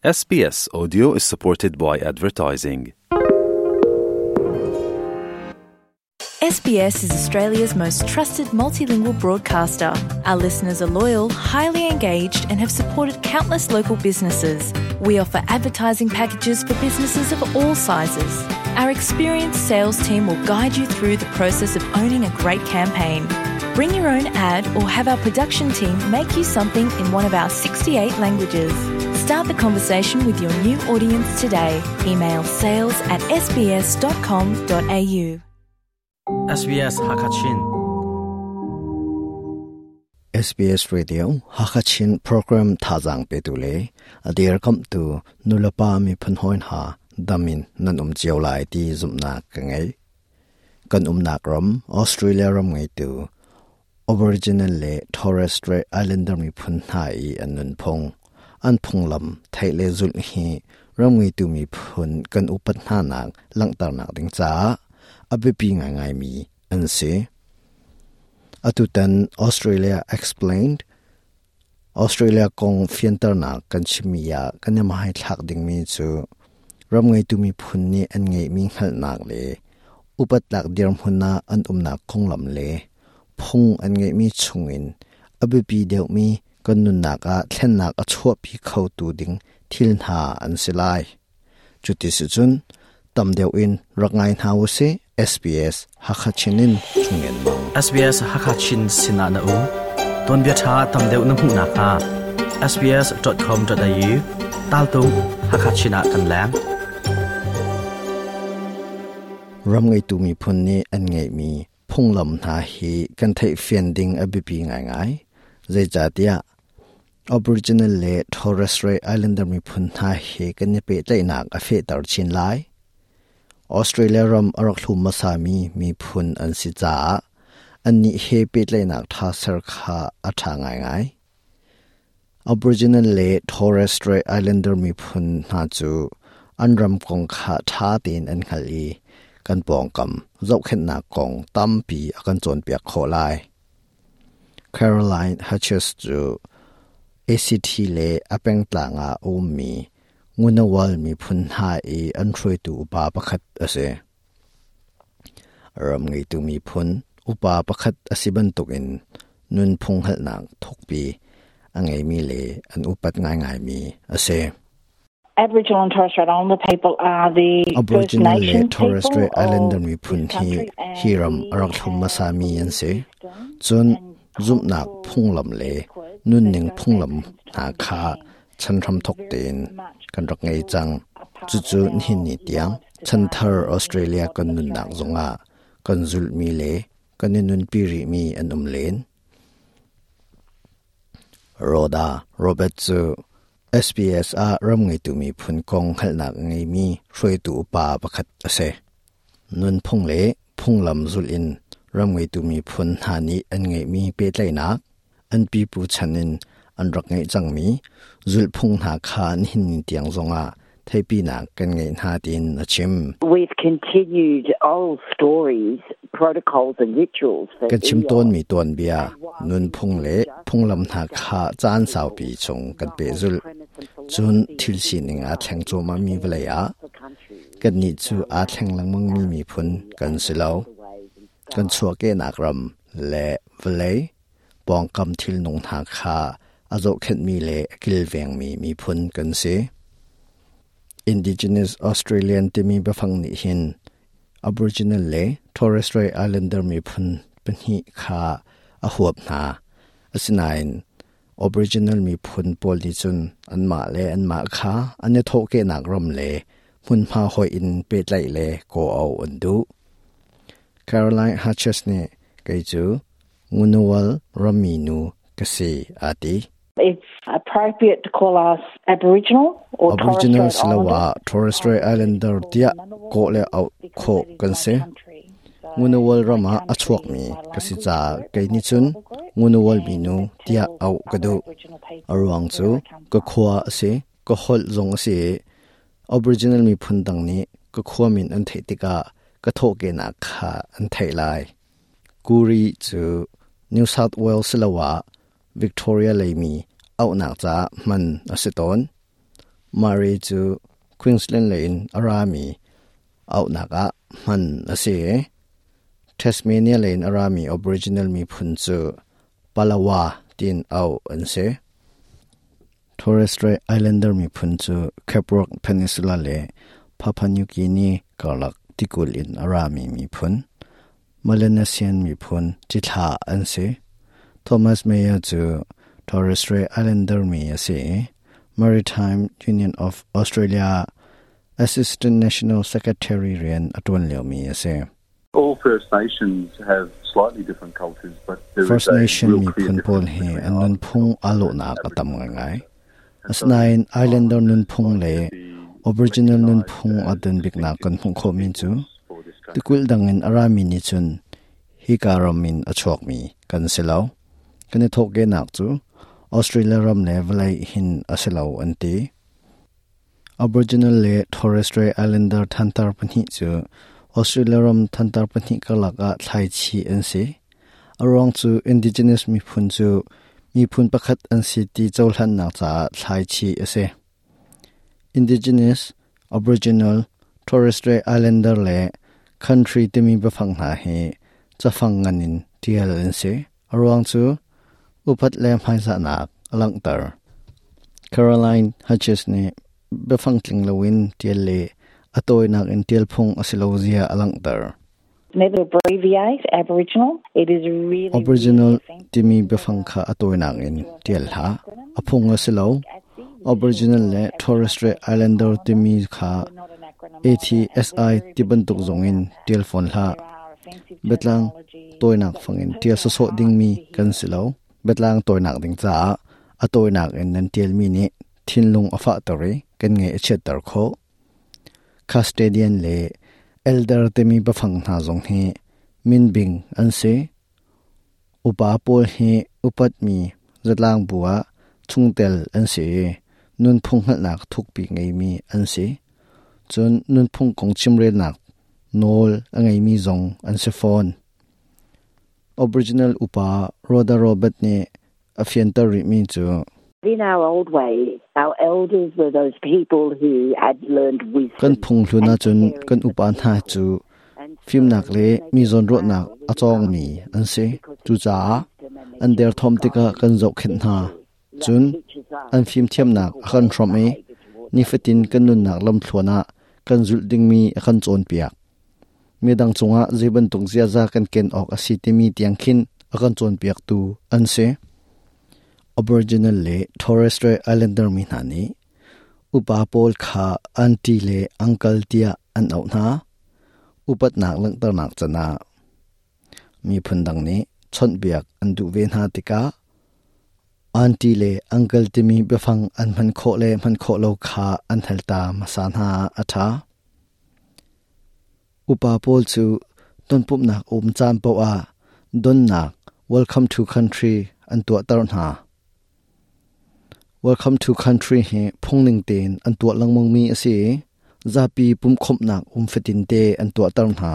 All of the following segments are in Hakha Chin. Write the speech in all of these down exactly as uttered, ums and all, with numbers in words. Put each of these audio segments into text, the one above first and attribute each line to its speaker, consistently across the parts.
Speaker 1: S B S Audio is supported by advertising.
Speaker 2: S B S is Australia's most trusted multilingual broadcaster. Our listeners are loyal, highly engaged, and have supported countless local businesses. We offer advertising packages for businesses of all sizes. Our experienced sales team will guide you through the process of owning a great campaign. Bring your own ad or have our production team make you something in one of our sixty-eight languages. Start the conversation with your new audience today. Email sales at S B S dot com dot A U.
Speaker 3: S B S Hakachin.
Speaker 4: S B S Radio Hakachin program thazang pe tu le adir kam tu nulapa mi phunhoin ha damin nan um chiaw lai ti zumna ka ngai kan umnak ram Australia ram ngai tu Aboriginal le Torres Strait Islander mi phun hna i an nun phung an phunglam theile zul hi ram ngai tu mi phun kan upat hna nak langtar nak ding cha abipi ngai ngai mi an si. Atutan Australia Explained, Australia kong fianter nak kan chimia kan ma hai thak ding mi chu ram ngai tu mi phun ni an ngai mi ngal nak le upat lak dir hmunna an umna konglam le phung an ngai mi chungin abipi deuh mi kan nun nak a thlen nak a chua pi kho tu ding thil na an silai chuti si chun tam deuh in rangai hna se S B S Hakachinin chungen mang.
Speaker 3: S B S Hakachin sina na u ton bia tha tam deuh na hmu na kha S B S dot com dot A U tal tu Hakachina kan lang.
Speaker 4: Ram ngai tu mi phun ni an ngai mi phunglam na hi kan thei fian ding abipi ngai ngai zai cha tia Aboriginal le Torres Strait Islander mi phun na hi kan ni pe tlai nak a fe tar chin lai. Australia ram arak thlum ma sa mi mi phun an si cha an ni he pe tlai nak tha sar kha a tha ngai ngai. Aboriginal le Torres Strait Islander mi phun na chu an ram kong kha tha tin an khali kan pong kam zau khen na kong tampi akan chon piak kho lai. Caroline Hutches chu A C T le apeng tlanga um mi Ngunawal mi phun ha e an throi tu upa pakhat ase. Ram ngai tu mi phun upa pakhat asiban tukin nun phung hal nak thokpi angai mi le an upat ngai ngai mi ase.
Speaker 5: Aboriginal and Torres Strait Islander people are the First
Speaker 4: Aboriginal le
Speaker 5: Nations
Speaker 4: Torres
Speaker 5: people
Speaker 4: Strait Islander
Speaker 5: of
Speaker 4: mi phun
Speaker 5: this
Speaker 4: hi
Speaker 5: country and
Speaker 4: hiram
Speaker 5: we
Speaker 4: arak thlum ma sa mi an se.
Speaker 5: have
Speaker 4: Chun
Speaker 5: and
Speaker 4: zumnak
Speaker 5: cultural
Speaker 4: phunglam le
Speaker 5: records
Speaker 4: nun
Speaker 5: that
Speaker 4: ning
Speaker 5: go back
Speaker 4: phunglam
Speaker 5: since
Speaker 4: na
Speaker 5: time
Speaker 4: kha
Speaker 5: began.
Speaker 4: Chan ram thok
Speaker 5: Very
Speaker 4: ten
Speaker 5: much
Speaker 4: kan rak ngai chang
Speaker 5: a part
Speaker 4: chu chu
Speaker 5: of our
Speaker 4: hin ni tiang
Speaker 5: lives
Speaker 4: chan
Speaker 5: today
Speaker 4: thar
Speaker 5: in
Speaker 4: Australia
Speaker 5: modern
Speaker 4: kan nun nak
Speaker 5: Australia.
Speaker 4: Zonga kan zul mi le kan nun pi ri mi an um len. Rhoda Robert chu S B S a ram ngai tu mi phun kong hal nak ngai mi hroi tu pa pakhat ase. Nun phung le phung lam zul in ram ngai tu mi phun ha ni an ngai mi pe tlai nak an pi pu chanin an rak ngai chang mi zul phung na kha an hin ni tiang zonga theipi na kan ngai na tin a chim.
Speaker 6: We've continued old stories, protocols and rituals for
Speaker 4: Kan chim ton
Speaker 6: eons.
Speaker 4: Mi ton bia nun phung le phung lam na kha chan saw pi chung kan pe zul chun thil si ning a thleng chu ma mi vlei a kan ni chu a thleng lang mang mi mi phun kan silo kan chua ke nak ram le vlei pong kam thil nung na kha azo khet mi le kil veng mi mi phun kan se. Indigenous Australian timi bafang ni hin Aboriginal le Torres Strait Islander mi phun panhi kha a huap na asinain Aboriginal mi phun pol ni chun an ma le an ma kha an ne tho ke nak ram le mun ma hoi in pe tlai le ko au an du. Caroline Hutches ne kai chu Ngunnawal Raminu kasi ati.
Speaker 5: It's appropriate to call us Aboriginal or Torres
Speaker 4: Aboriginal
Speaker 5: Strait
Speaker 4: silawa
Speaker 5: Islander.
Speaker 4: Torres Strait Islander tia ko le au
Speaker 5: Because
Speaker 4: kho
Speaker 5: that is
Speaker 4: kan
Speaker 5: my
Speaker 4: se.
Speaker 5: Country. So
Speaker 4: Ngunawal
Speaker 5: my
Speaker 4: rama
Speaker 5: country
Speaker 4: achuak
Speaker 5: is
Speaker 4: mi
Speaker 5: my
Speaker 4: kasi
Speaker 5: language
Speaker 4: cha
Speaker 5: group,
Speaker 4: kai ni
Speaker 5: my
Speaker 4: chun
Speaker 5: tribal group,
Speaker 4: Ngunawal
Speaker 5: and
Speaker 4: minu
Speaker 5: that
Speaker 4: tia
Speaker 5: tells
Speaker 4: au
Speaker 5: other
Speaker 4: kadu.
Speaker 5: Aboriginal people
Speaker 4: Aruang
Speaker 5: where
Speaker 4: chu
Speaker 5: I come
Speaker 4: ka
Speaker 5: from.
Speaker 4: khwa ase ka hol zong ase. Aboriginal mi phun dang ni ka khwa min an thei tika ka tho ke na kha an thei lai. Kuri chu New South Wales lawa Victoria leimi au nak cha man ase ton. Mari chu Queensland lein arami au naka man ase Tasmania lein arami Aboriginal mi phun chu Palawa tin au an se Torres Strait Islander mi phun chu Cape Rock Peninsula le Papua New Guinea karlak tikul in arami mi phun Melanesian mi phun chitha an se Thomas Mayer chu Torres Strait Islander mi ase Maritime Union of Australia Assistant National Secretary rian atuan leo mi ase.
Speaker 7: All First Nations have slightly different cultures, but there
Speaker 4: First
Speaker 7: is a
Speaker 4: Nation
Speaker 7: real
Speaker 4: mi
Speaker 7: clear
Speaker 4: phun pawl
Speaker 7: difference
Speaker 4: he
Speaker 7: between
Speaker 4: an nun phung alo na katam ngai ngai. Asnain Islander nun phung le Aboriginal nun phung adun bik na kan phung kho min chu tikul dangin arami ni chun hi karamin achok mi kan selo kan thok ge nak chu Australia ram le valai hin aselo anti Aboriginal le Torres Strait Islander thantar pani chu Australia ram thantar pani kalaka thlai chi an se arong chu indigenous mi phun chu mi phun pakhat an si ti chawhlan nak cha thlai chi ase Indigenous Aboriginal Torres Strait Islander le country timi bafang na he chafang nganin tial an se arong chu upat le hmaisa nak alangtar Caroline Hutches ne bafang tling lowin tial le atoi nak in tial phung asilozia alangtar.
Speaker 5: Never abbreviate Aboriginal. It is really
Speaker 4: Aboriginal
Speaker 5: really offensive.
Speaker 4: Timi bafang kha atoi nak in tial ha aphung asilo Aboriginal le Torres Strait Islander timi kha
Speaker 5: We're not an acronym either, and
Speaker 4: A T S I
Speaker 5: we're very
Speaker 4: tibantuk zongin tial phone hla
Speaker 5: there are offensive
Speaker 4: betlang
Speaker 5: terminology.
Speaker 4: toinak fangin tial so so ding mi kan silo betlang toinak ding cha atoinak in nan tial mi ni thinlung afa tore kan nge achet tar kho custodian le elder temi bafang na zong hi min bing an se upa pol hi upat mi zatlang buwa chungtel an se nun phung hal nak thuk pi ngei mi an se chun nun phung kong chimre nak nol angai mi zong an se phone Aboriginal upa Rhoda Robert ne afian tar ri mi chu
Speaker 6: In our old way, our elders were those people who had learned wisdom.
Speaker 4: Kan phung hluna chun kan upa na chu phim nak le mi zon ro nak achong mi an se chu cha an der thom tika kan zo khen na chun an phim thiam nak khan throm e ni fatin kan nun nak lam thluana kan zul ding mi khan chon piak mi dang chunga jiban tung zia za kan ken ok asi ti mi tiang khin akan chon piak tu an se. Aboriginal le Torres Strait Islander mi na ni upa pol kha auntie le uncle tia an au na upat nak lang tar nak chana mi phundang ni chon biak an du ve na tika auntie le uncle ti mi befang an man kho le man kho lo kha an helta masan ha atha upa pol chu ton pup nak um chan po a don nak welcome to country an tua tar na. Welcome to country he phongning ten an tua langmong mi ase zapi pum khop nak um fetin te an tua tar na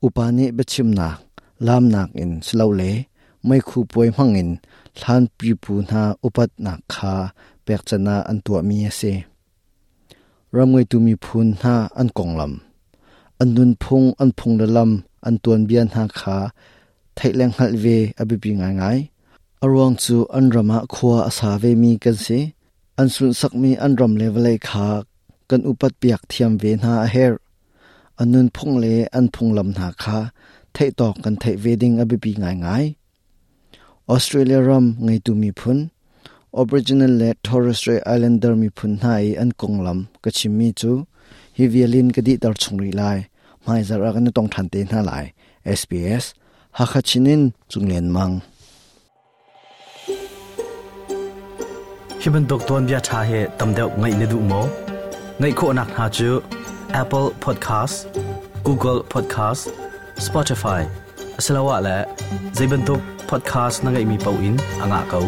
Speaker 4: upani bechim nak lam nak in slow le mai khu poi mangin thlan pi pu na upat nak kha pek chana an tua mi ase ramngai tu mi phun na an konglam an nun phung an phung la lam an tuan bian ha kha thaileng hal ve abipi ngai ngai arwang chu an rama khwa asa ve mi kan se an sun sak mi an ram level kha kan upat piak thiam ve na a her anun phung le an phung lam na kha thei tok kan thei ve ding abipi ngai ngai. Australia ram ngai tu mi phun Aboriginal le Torres Strait Islander mi phun nai an konglam ka chimmi chu hi violin ka di tar chungri lai mai zara kan tong than te na lai. S B S Hakachinin chunglen mang.
Speaker 3: Hi bantuk tuanbia tha he tamdeuh ngai ne du mo ngai kho nak ha chu Apple Podcast, Google Podcast, Spotify asalawa la zeibantuk podcast na ngai mi pau in anga kau.